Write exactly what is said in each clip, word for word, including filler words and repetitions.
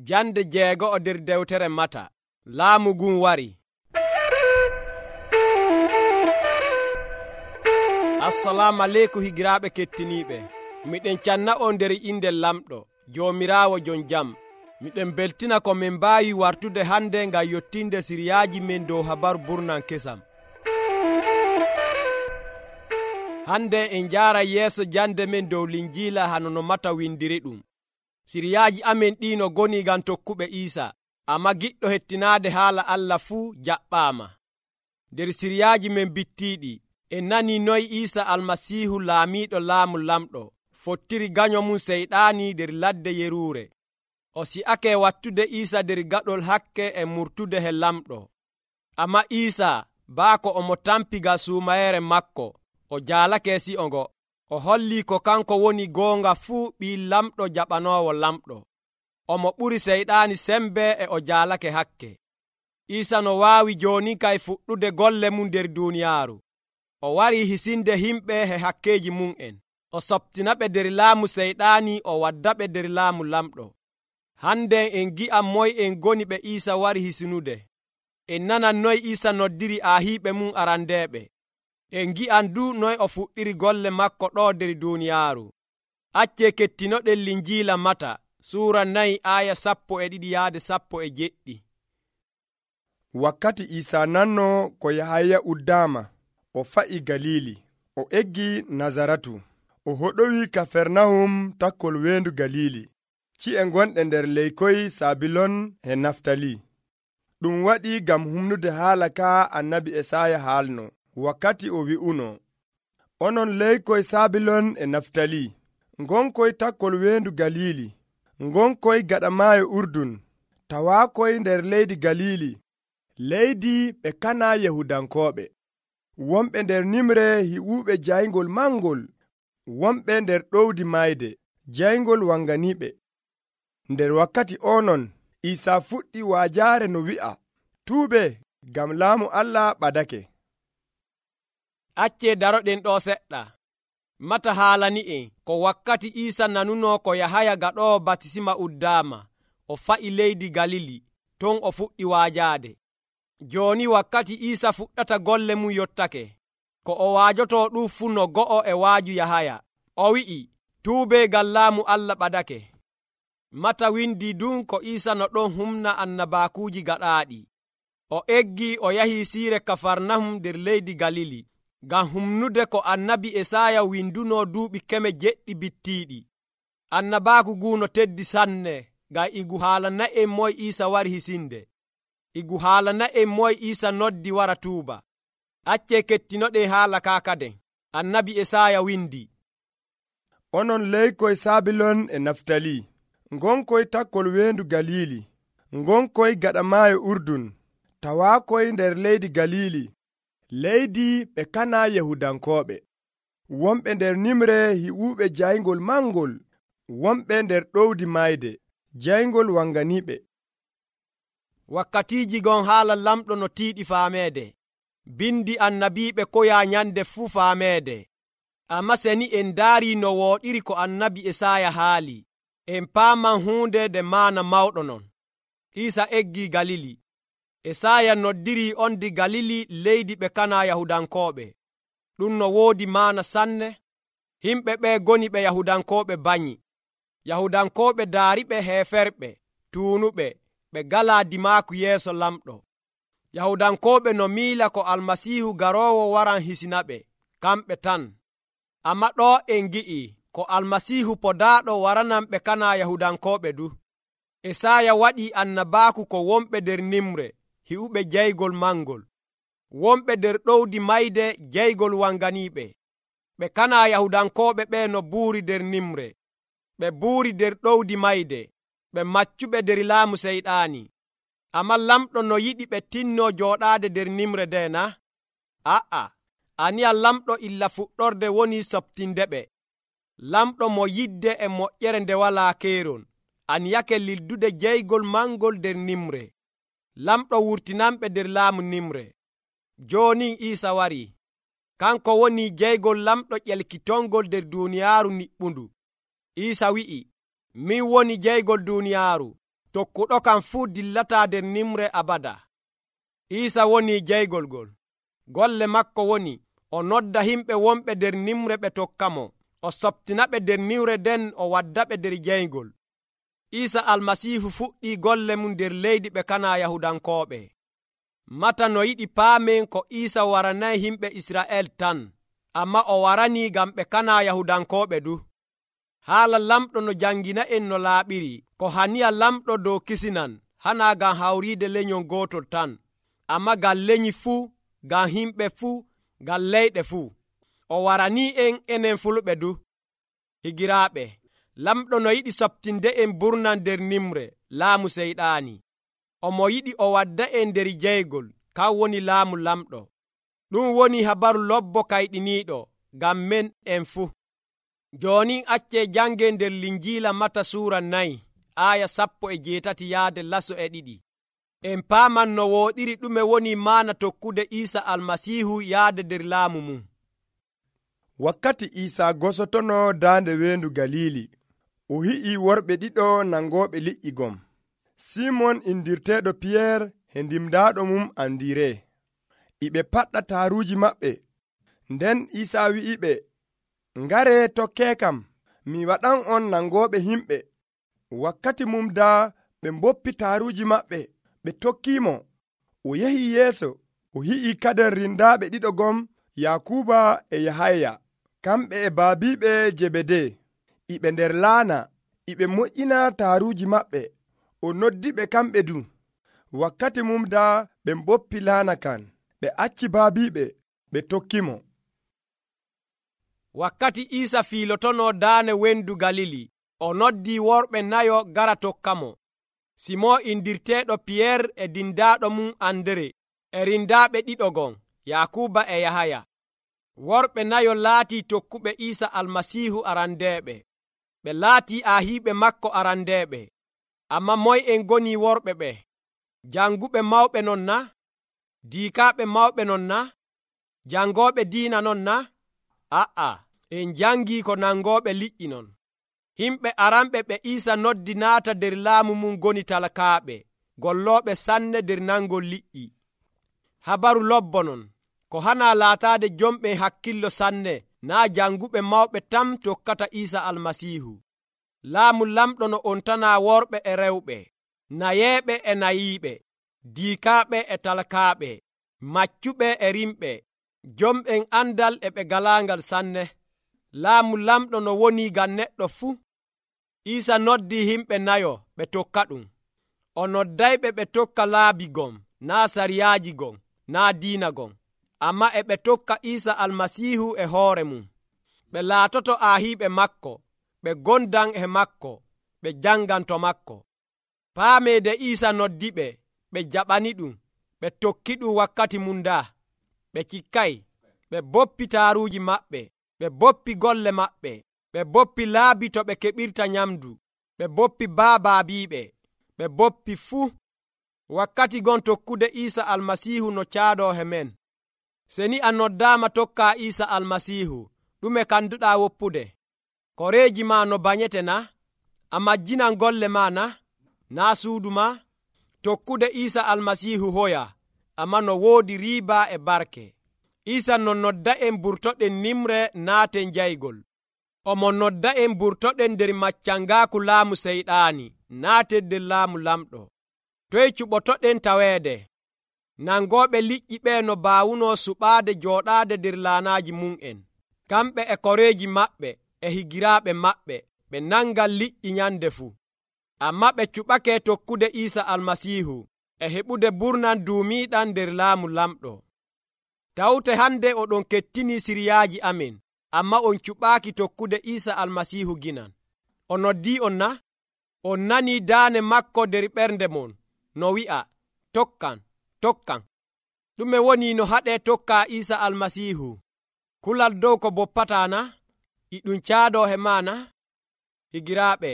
Jande jeego'o nder dewtere Mata. Laamu ngun wari. Assalamu aleykum higiraaɓe kettiniiɓe. Miɗen canna on nder inde lamɗo Joomiraawo jon jam. Miɗen beltina ko min mbaawi wartude hande ngam yottinde siriyaaji men dow habaru burnan kesam. Hande en njaara yeeso jande men dow linjiila hano no Mata windiri ɗum. Siriyaaji amen ɗi no goni ngam tokkuɓe Iisa, amma giɗɗo hettinaade haala Allah fuu jaɓɓaama. Nder siriyaaji men bittiiɗi en nani noy Iisa almasiihu laamiiɗo laamu lamɗo fottiri ganyo mum seyɗaani nder ladde yeruure. O si'ake wattude Iisa nder gaɗol hakke e murtude he lamɗo. Amma Iisa baako omo tampi ga suumayere makko, o jaalake si'o ngo. O holli ko kanko woni goonga fuu ɓii lamɗo jaɓanoowo lamɗo. Omo ɓuri seyɗaani sembe e o jaalake hakke. Iisa no waawi jooni kay fuɗɗude golle mum nder duuniyaaru. O wari hisinde himɓe he hakkeeji mum'en. O soɓtinaɓe nder laamu seyɗaani, o waddaɓe nder laamu lamɗo. Hande en gi'am moy en goni ɓe Iisa wari hisinude. En nanan noy Iisa noddiri aahiiɓe mum arandeeɓe. En gi'an du noy o fuɗɗiri golle makko ɗo nder duuniyaaru. Acce kettinoɗen linjiila Mata suura nayi aya sappo e ɗiɗi yaade sappo e jeɗɗi. Wakkati Iisa nanno ko Yahaya uddaama, o fa'i Galili, o eggi Nazaratu, o hoɗowi Kafernahum takkol weendu Galili, ci'e gonɗe nder leykoy Sabilon e Naftali. Ɗum waɗi ngam humnude haala ka annabi Esaya haalno, wakkati o wi'uno, onon leykoy Sabilon e Naftali, ngonkoy takkol weendu Galili, ngonkoy gaɗa maayo Urdun, tawaakoy nder leydi Galili, leydi ɓe kana Yahudankooɓe. Wonɓe nder nimre hi'uɓe jayngol mangol, wonɓe nder ɗowdi mayde, jayngol wanganiɓe. Nder wakkati onon, Iisa fuɗɗi waajaare no wi'a, tuube, ngam laamu Allah ɓadake. Acce daroɗen ɗo seɗɗa. Mata haalani'en ko wakkati Iisa nanuno ko Yahaya gaɗoowo batisima uddaama, o fa'i leydi Galili, ton o fuɗɗi waajaade. Jooni wakkati Iisa fuɗɗata golle mum yottake. Ko o waajoto ɗum fuu no go'o e waaju Yahaya. O wi'i, tuube ngam laamu Allah ɓadake. Mata windi dun ko Iisa no ɗon humna annabaakuuji gaɗaaɗi. O eggi o yahi siire Kafarnahum nder leydi Galili, ngam humnude ko annabi Esaya winduno duuɓi keme jeɗɗi bittiiɗi. Annabaaku ngu no teddi sanne, ngam igu haalana en moy Iisa wari hisinde. Igu haalana en moy Iisa noddi wara tuuba. Acce kettinoɗen haala ka kaden. Annabi Esaya windi, onon leykoy Sabilon e Naftali, ngonkoy takkol weendu Galili, ngonkoy gaɗa maayo Urdun, tawaakoy nder leydi Galili, leydi ɓe kana Yahudankooɓe. Wonɓe nder nimre hi'uɓe jayngol mangol, wonɓe nder ɗowdi mayde, jayngol wanganiɓe. Wakkatiiji gon haala lamɗo no tiiɗi faameede. Bindi annabiiɓe koya nyande fuu faameede. Amma seni en daari no wooɗiri ko annabi Esaya haali, en paaman huunde de maana mawɗo non. Iisa eggi Galili. Esaya noddiri on di Galili leydi ɓe kana Yahudankooɓe. Ɗum no woodi maana sanne. Himɓe ɓe goni ɓe Yahudankooɓe banyi. Yahudankooɓe daariɓe heeferɓe, tuunuɓe, ɓe galaa dimaaku yeeso lamɗo. Yahudankooɓe no miila ko almasiihu garoowo waran hisinaɓe, kamɓe tan. Amma ɗo en gi'i ko almasiihu podaaɗo waranan ɓe kana Yahudankooɓe du. Esaya waɗi annabaaku ko wonɓe nder nimre hi'uɓe jaygol mangol, wonɓe nder ɗowdi mayde jaygol wanganiiɓe. Ɓe kana Yahudankooɓe ɓe no buuri nder nimre, ɓe buuri nder ɗowdi mayde, ɓe maccuɓe nder laamu seyɗaani. Amma lamɗo no yiɗi ɓe tinno jooɗaade nder nimre nde na? A'a, aniya lamɗo illa fuɗɗorde woni soɓtindeɓe. Lamɗo mo yidde e moƴƴere nde walaa keeron, aniyake lildude jaygol mangol nder nimre. Lamɗo wurtinanɓe nder laamu nimre. Jooni Iisa wari. Kanko woni jaygol lamɗo ƴelkitongol nder duuniyaaru niɓɓundu. Iisa wi'i, min woni jaygol duuniyaaru. tokkuɗo kam fuu dillataa nder nimre abada. Iisa woni jeygol ngol. Golle makko woni o nodda himɓe wonɓe nder nimre ɓe tokkamo, o soptinaɓe nder nimre nden o waddaɓe nder jeygol. Iisa almasiihu fuɗɗii golle mum nder leydi ɓe kana Yahudankooɓe. Mata no yiɗi paamen ko Iisa waranayi himɓe Isra'el tan, amma o waranii ngam ɓe kana Yahudankooɓe du. Haala lamɗo no jangina'en no laaɓiri, ko haniya lamɗo dow kisinan hana ngam hawriide lenyol gootol tan, amma ngam lenyi fuu, ngam himɓe fuu, ngam leyɗe fuu. O waranii en enen fulɓe du. Higiraaɓe, lamɗo no yiɗi softinde en burnan nder nimre laamu seyɗaani. Omo yiɗi o wadda en nder jeygol, kan woni laamu lamɗo. Ɗum woni habaru lobbo kayɗiniiɗo ngam men en fuu. Jooni accee jangen nder Linjiila Mata suura nayi aya sappo e jeetati yaade laso e ɗiɗi. En paaman no wooɗiri ɗume woni maana tokkude Iisa almasiihu yaade nder laamu mum. Wakkati Iisa gosotono daande weendu Galili, o hi'i worɓe ɗiɗo nangooɓe liƴƴi gom. Simon indirteeɗo Piyeer e ndimdaaɗo mum Andiree. Iɓe paɗɗa taaruuji maɓɓe. Nden Iisa wi'iɓe, "Ngaree tokkeekam, mi waɗan on nangooɓe himɓe." Wakkati mum daa ɓe mboppi taaruuji maɓɓe, ɓe tokkiimo. O yehi yeeso, o hi'i kaden rindaaɓe ɗiɗo gom, Yakuba e Yahaya, kamɓe e baabiiɓe Jebede. Iɓe nder laana, iɓe moƴƴina taaruuji maɓɓe. O noddiɓe kamɓe du. Wakkati mum daa ɓe mboppi laana kan, ɓe acci baabiiɓe, ɓe tokkimo. Wakkati Iisa fiilotono daane wendu Galili, o noddi worɓe nayo gara tokkamo. Simon indirteeɗo Piyeer e dindaaɗo mum Andere e rindaaɓe ɗiɗo gon, Yakuba e Yahaya. Worɓe nayo laatii tokkuɓe Iisa almasiihu arandeeɓe. Ɓe laatii aahiiɓe makko arandeeɓe. Amma moy en goni worɓe ɓe? Janguɓe mawɓe non na? Diikaaɓe mawɓe non na? Jangooɓe diina non na? A'a, en jangii ko nangooɓe liƴƴi non. Himɓe aranɓe ɓe Iisa noddi naata nder laamu mum goni talakaaɓe, gollooɓe sanne nder nangol liƴƴi. Habaru lobbo non, ko hana laataade jomɓe hakkillo sanne, naa janguɓe mawɓe tan tokkata Iisa almasiihu. Laamu lamɗo no on tana worɓe e rewɓe, nayeeɓe e nayiiɓe, diikaaɓe e talakaaɓe, maccuɓe e rimɓe, jomɓen andal e ɓe galaangal sanne. Laamu lamɗo no woni ngam neɗɗo fuu. Iisa noddi himɓe nayo ɓe tokka ɗum. O noddayɓe ɓe tokka laabi gon, naa sariyaaji gon, naa diina gon, amma e ɓe tokka Iisa almasiihu e hoore mum. Ɓe laatoto aahiiɓe makko, ɓe gondan e makko, ɓe jangan to makko. Paameede Iisa noddiɓe, ɓe jaɓani ɗum, ɓe tokki ɗum wakkati mum daa. Ɓe cikkay, ɓe boppi taaruuji maɓɓe, ɓe boppi golle maɓɓe, ɓe boppi laabi to ɓe keɓirta nyamdu, ɓe boppi baabaabiiɓe, ɓe boppi fuu. Wakkati gon tokkude Iisa almasiihu no caadoo he men. Seni a noddaama tokka Iisa almasiihu, ɗume kanduɗaa woppude? Koreeji ma no banyete na? A majjinan golle ma na? Naa suudu ma? Tokkude Iisa almasiihu hoya, amma no woodi riiba e barke. Iisa no nodda en burtoɗen nimre naaten jaygol. Omo nodda en burtoɗen nder maccangaaku laamu seyɗaani, naaten nder laamu lamɗo. Toy cuɓotoɗen taweede? Nangooɓe liƴƴi ɓee no baawuno suɓaade jooɗaade nder laanaaji mum'en. Kamɓe e koreeji maɓɓe e higiraaɓe maɓɓe ɓe nangan liƴƴi nyande fuu. Amma ɓe cuɓake tokkude Iisa almasiihu e heɓude burnan duumiiɗan nder laamu lamɗo. Tawte hande oɗon kettini siriyaaji amen, amma on cuɓaaki tokkude Iisa almasiihu ginan. O noddii on na? On nanii daane makko nder ɓernde mon no wi'a, tokkan, tokkan. Ɗume woni no haɗee tokka Iisa almasiihu? Kulal dow ko boppataa na? E ɗum caadoo he maa na? Higiraaɓe,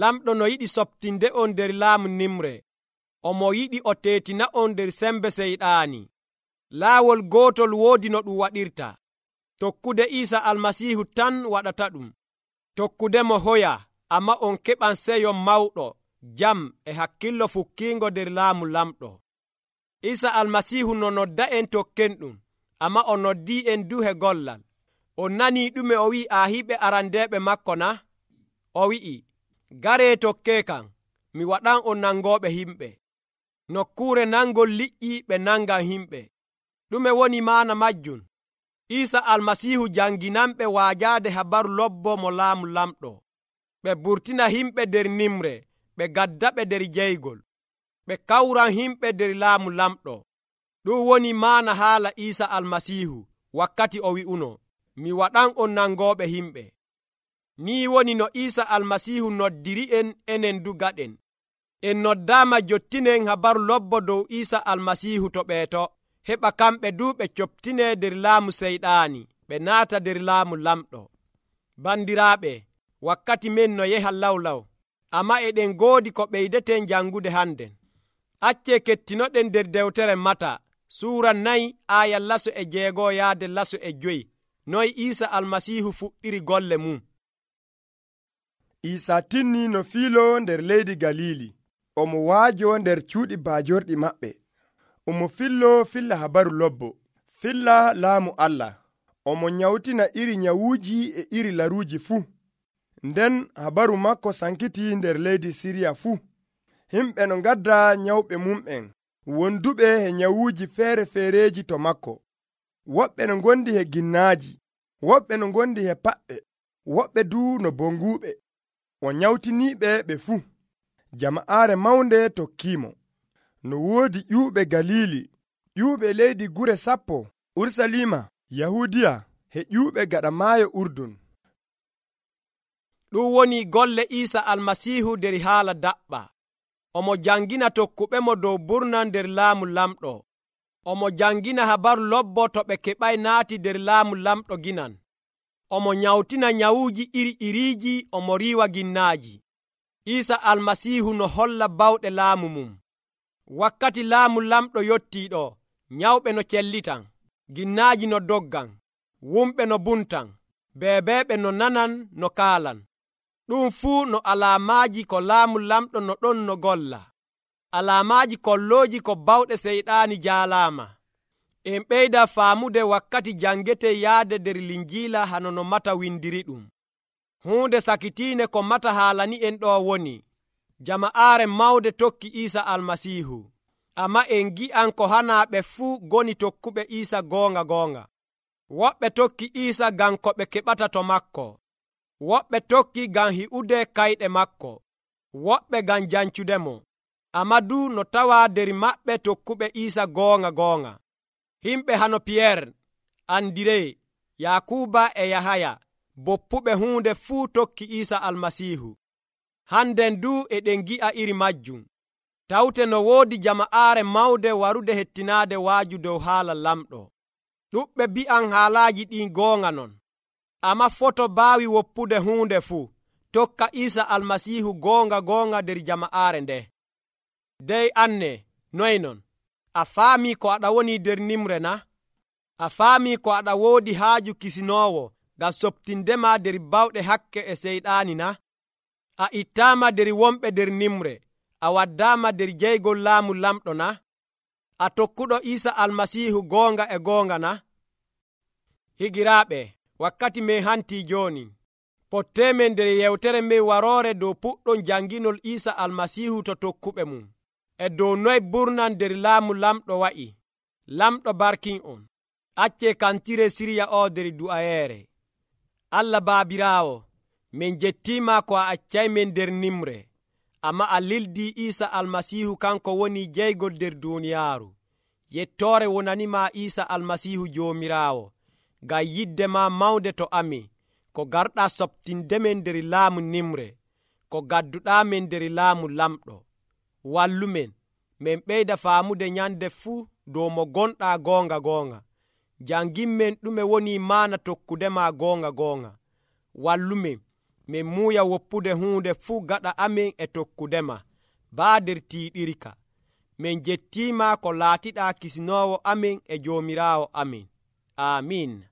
lamɗo no yiɗi softinde on nder laamu nimre. Omo yiɗi o teetina on nder sembe seyɗaani. Laawol gootol woodi no ɗum waɗirta. Tokkude Iisa almasiihu tan waɗata ɗum. Tokkudemo hoya, amma on keɓan seyo mawɗo, jam e hakkillo fukkiingo nder laamu lamɗo. Isa almasiihu no nodda en tokken ɗum, amma o noddii en duhe gollal. On nanii ɗume o wi'i aahiɓe arandeeɓe makko na? O wi'i, garee tokkee kam, mi waɗan on nangooɓe himɓe. Nokkuure nangol liƴƴi ɓe nangan himɓe. Ɗume woni maana majjum? Isa almasiihu janginanɓe waajaade habaru lobbo mo laamu lamɗo. Ɓe burtina himɓe nder nimre, ɓe gaddaɓe nder jeygol. Ɓe kawran himɓe nder laamu lamɗo. Ɗum woni maana haala Isa almasiihu wakkati o wi'uno, mi waɗan on nangooɓe himɓe. Nii woni no Isa almasiihu noddiri en enen du gaɗen. En noddaama jottinen habaru lobbo dow Isa almasiihu to ɓeeto, heɓa kamɓe du ɓe coptinee nder laamu seyɗaani, ɓe naata nder laamu lamɗo. Bandiraaɓe, wakkati men no yeha lawlaw, amma eɗen goodi ko ɓeydeten jangude hannden. Accee kettinoɗen nder dewtere Mata, suura nayi aaya laso e jeegoo yaade laso e joyi, noy Isa almasiihu fuɗɗiri golle mum. Isa tinni no fiilo nder leydi Galili, omo waajo nder cuuɗi baajorɗi maɓɓe. Omo fillo filla habaru lobbo, filla laamu Allah. Omo nyawtina iri nyawuuji e iri laruuji fuu. Nden habaru makko sankiti nder leydi Siriya fuu. Himɓe no ngadda nyawɓe mum'en, wonduɓe e nyawuuji feere-feereji to makko. Woɓɓe no ngondi e ginnaaji, woɓɓe no ngondi e paɓɓe, woɓɓe du no bonguuɓe. O nyawtiniiɓe ɓe fuu. Jama'aare mawnde tokkiimo. No woodi ƴuuɓe Galili, ƴuuɓe leydi gure sappo, Urusalima, Yahudiya, e ƴuuɓe gaɗa maayo Urdun. Ɗum woni golle Isa almasiihu nder haala daɓɓa. Omo jangina tokkuɓe mo dow burnan nder laamu lamɗo. Omo jangina habaru lobbo to ɓe keɓay naati nder laamu lamɗo ginan. Omo nyawtina nyawuuji iri iriiji, omo riiwa ginnaaji. Isa almasiihu no holla bawɗe laamu mum. Wakkati laamu lamɗo yottiiɗo, nyawɓe no cellitan, ginnaaji no doggan, wumɓe no buntan, beebeeɓe no nanan no kaalan. Ɗum fuu no alaamaaji ko laamu lamɗo no ɗon no golla. Alaamaaji kollooji ko bawɗe seyɗaani jaalaama. En ɓeyda faamude wakkati jangete yaade nder Linjiila hano no Mata windiri ɗum. Huunde sakitiine ko Mata haalani en ɗo woni, jama'aare mawde tokki Isa almasiihu, amma en gi'an ko hanaaɓe fuu goni tokkuɓe Isa goonga goonga. Woɓɓe tokki Isa ngam ko ɓe keɓata to makko, woɓɓe tokki ngam hi'ude kayɗe makko, woɓɓe ngam jancudemo, amma du no tawa nder maɓɓe tokkuɓe Isa goonga goonga. Himɓe hano Piyeer, Andiree, Yakuba e Yahaya, boppuɓe huunde fuu tokki Isa almasiihu. Hannden du eɗen gi'a iri majjum. Tawte no woodi jama'aare mawde warude hettinaade waaju dow haala lamɗo. Ɗuɓɓe bi'an haalaaji ɗin goonga non, amma foto baawi woppude huunde fuu tokka Isa almasiihu goonga goonga nder jama'aare nde. Dey anne, noy non? A faamii ko aɗa woni nder nimre na? A faamii ko aɗa woodi haaju kisinoowo ngam soɓtindema nder bawɗe hakke e seyɗaani na? A ittaama nder wonɓe nder nimre, a waddaama nder jeygol laamu lamɗo na? A tokkuɗo Isa almasiihu goonga e goonga na? Higiraaɓe, wakkati men hantii jooni. Potteemen nder yewtere men waroore dow puɗɗon janginol Isa almasiihu to tokkuɓe mum, e dow noy burnan nder laamu lamɗo wa'i. Lamɗo barkin on. Accee kantire sirya o nder du'ayeere. Allah Baabiraawo, min jettiima ko a accaymen nder nimre, amma a lildii Isa almasiihu kanko woni jeygol nder duuniyaaru. Yettoore wonanima Isa almasiihu Joomiraawo, ngam yidde ma mawnde to amin, ko garɗaa soɓtindemen nder laamu nimre, ko gadduɗaamen nder laamu lamɗo. Wallumen, min ɓeyda faamude nyande fuu dow mo gonɗaa goonga goonga. Janginmen ɗume woni maana tokkudema goonga goonga. Wallumen, min muuya woppude huunde fuu gaɗa amin e tokkudema, baa nder tiiɗirka. Min jettiima ko laatiɗaa kisinoowo amin e Joomiraawo amin. Amiin.